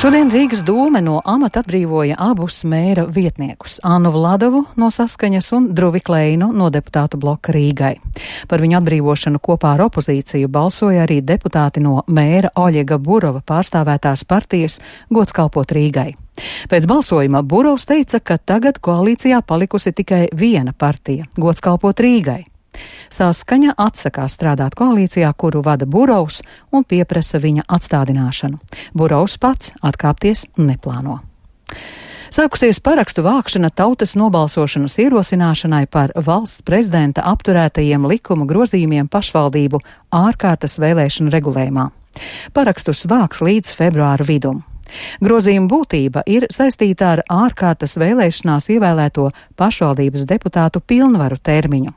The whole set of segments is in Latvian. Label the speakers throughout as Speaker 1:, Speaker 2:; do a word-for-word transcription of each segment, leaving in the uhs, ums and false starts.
Speaker 1: Šodien Rīgas dome no amata atbrīvoja abus mēra vietniekus – Annu Vladovu no Saskaņas un Druvi Kleinu no deputātu bloka Rīgai. Par viņu atbrīvošanu kopā ar opozīciju balsoja arī deputāti no mēra Oļega Burova pārstāvētās partijas Gods kalpot Rīgai. Pēc balsojuma Burovs teica, ka tagad koalīcijā palikusi tikai viena partija – Gods kalpot Rīgai. Saskaņa atsakās strādāt koalīcijā, kuru vada Burovs, un pieprasa viņa atstādināšanu. Burovs pats atkāpties neplāno. Sākusies parakstu vākšana tautas nobalsošanas ierosināšanai par valsts prezidenta apturētajiem likuma grozījumiem pašvaldību ārkārtas vēlēšanu regulējumā. Parakstus vāks līdz februāra vidum. Grozījuma būtība ir saistīta ar ārkārtas vēlēšanās ievēlēto pašvaldības deputātu pilnvaru termiņu.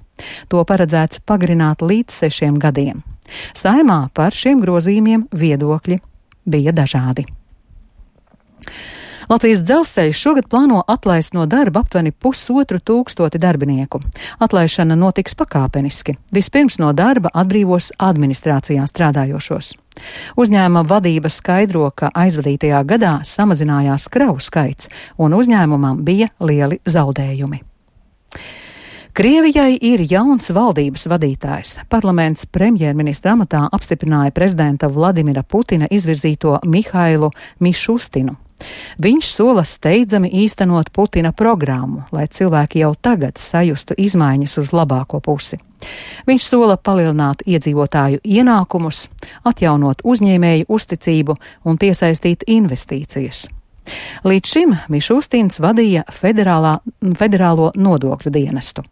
Speaker 1: To paredzēts pagarināt līdz sešiem gadiem. Saimā par šiem grozījumiem viedokļi bija dažādi. Latvijas dzelzceļš šogad plāno atlaist no darba aptuveni pusotru tūkstoti darbinieku. Atlaišana notiks pakāpeniski. Vispirms no darba atbrīvos administrācijā strādājošos. Uzņēmuma vadība skaidro, ka aizvadītajā gadā samazinājās kravu skaits un uzņēmumam bija lieli zaudējumi. Krievijai ir jauns valdības vadītājs. Parlaments premjerministra amatā apstiprināja prezidenta Vladimira Putina izvirzīto Mihailu Mišustinu. Viņš sola steidzami īstenot Putina programmu, lai cilvēki jau tagad sajustu izmaiņas uz labāko pusi. Viņš sola palielināt iedzīvotāju ienākumus, atjaunot uzņēmēju uzticību un piesaistīt investīcijas. Līdz šim Mišustins vadīja federālā, federālo nodokļu dienestu.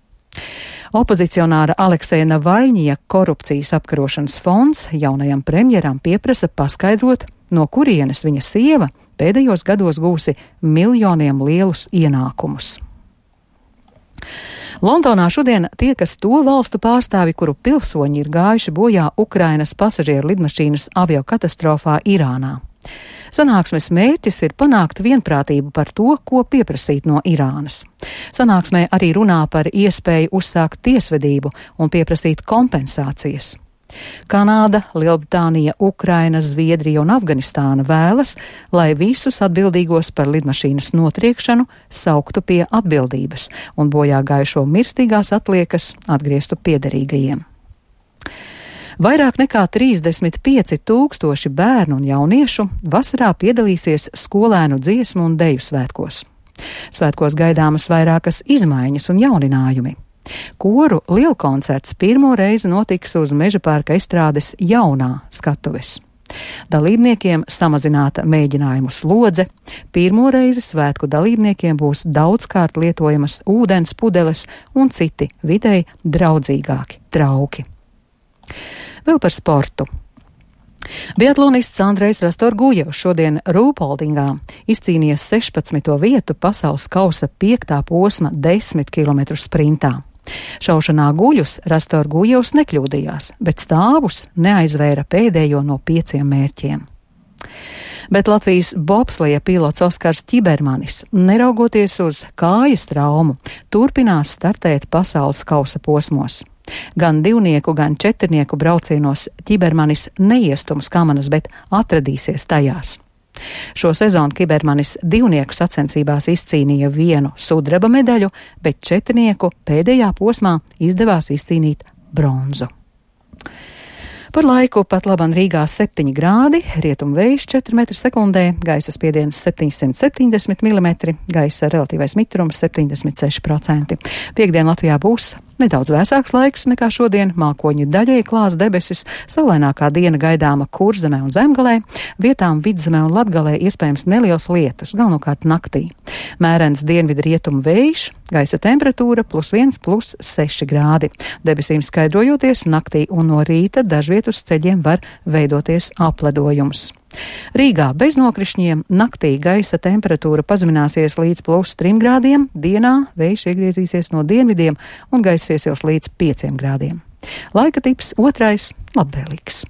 Speaker 1: Opozicionāra Alekseja Navaļņija korupcijas apkarošanas fonds jaunajam premjeram pieprasa paskaidrot, no kurienes viņa sieva pēdējos gados gūsi miljoniem lielus ienākumus. Londonā šodien tiekas to valstu pārstāvi, kuru pilsoņi ir gājuši bojā Ukrainas pasažieru lidmašīnas aviokatastrofā Irānā. Sanāksmes mērķis ir panākt vienprātību par to, ko pieprasīt no Irānas. Sanāksmē arī runā par iespēju uzsākt tiesvedību un pieprasīt kompensācijas. Kanāda, Lielbritānija, Ukraina, Zviedrija un Afganistāna vēlas, lai visus atbildīgos par lidmašīnas notriekšanu sauktu pie atbildības un bojā gājušo mirstīgās atliekas atgrieztu piederīgajiem. Vairāk nekā trīsdesmit pieci tūkstoši bērnu un jauniešu vasarā piedalīsies skolēnu dziesmu un deju svētkos. Svētkos gaidāmas vairākas izmaiņas un jauninājumi. Koru lielkoncerts pirmo reizi notiks uz Mežaparka estrādes jaunā skatuves. Dalībniekiem samazināta mēģinājumu slodze, pirmo reizi svētku dalībniekiem būs daudzkārt lietojamas ūdens pudeles un citi videi draudzīgāki trauki. Vēl par sportu. Biatlonists Andrejs Rastorgujevs šodien Rūpoldingā izcīnīja sešpadsmito vietu pasaules kausa piektā posma desmit kilometru sprintā. Šaušanā guļus Rastorgujevs nekļūdījās, bet stāvus neaizvēra pēdējo no pieciem mērķiem. Bet Latvijas bobsleja pilots Oskars Ķibermanis, neraugoties uz kājas traumu, turpinās startēt pasaules kausa posmos. Gan divnieku, gan četrnieku braucienos Ķibermanis neiestums kamanas, bet atradīsies tajās. Šo sezonu Ķibermanis divnieku sacensībās izcīnīja vienu sudraba medaļu, bet četrnieku pēdējā posmā izdevās izcīnīt bronzu. Par laiku pat laban Rīgā septiņi grādi, rietumu vējš četri metri sekundē, gaisa spiediens septiņsimt septiņdesmit milimetri, gaisa relatīvais mitrums septiņdesmit seši procenti. Piektdien Latvijā būs nedaudz vēsāks laiks nekā šodien, mākoņi daļēji klās debesis, saulainākā diena gaidāma Kurzemē un Zemgalē, vietām Vidzemē un Latgalē iespējams neliels lietus, galvenokārt naktī. Mērens dienvidu rietumu vējš, gaisa temperatūra plus viens, plus seši grādi. Debesīm skaidrojoties, naktī un no rīta dažviet uz ceļiem var veidoties apledojums. Rīgā bez nokrišņiem, naktī gaisa temperatūra pazemināsies līdz plus trim grādiem, dienā vējš iegriezīsies no dienvidiem un gaisa iesils līdz pieciem grādiem. Laika tips otrais - labvēlīgs.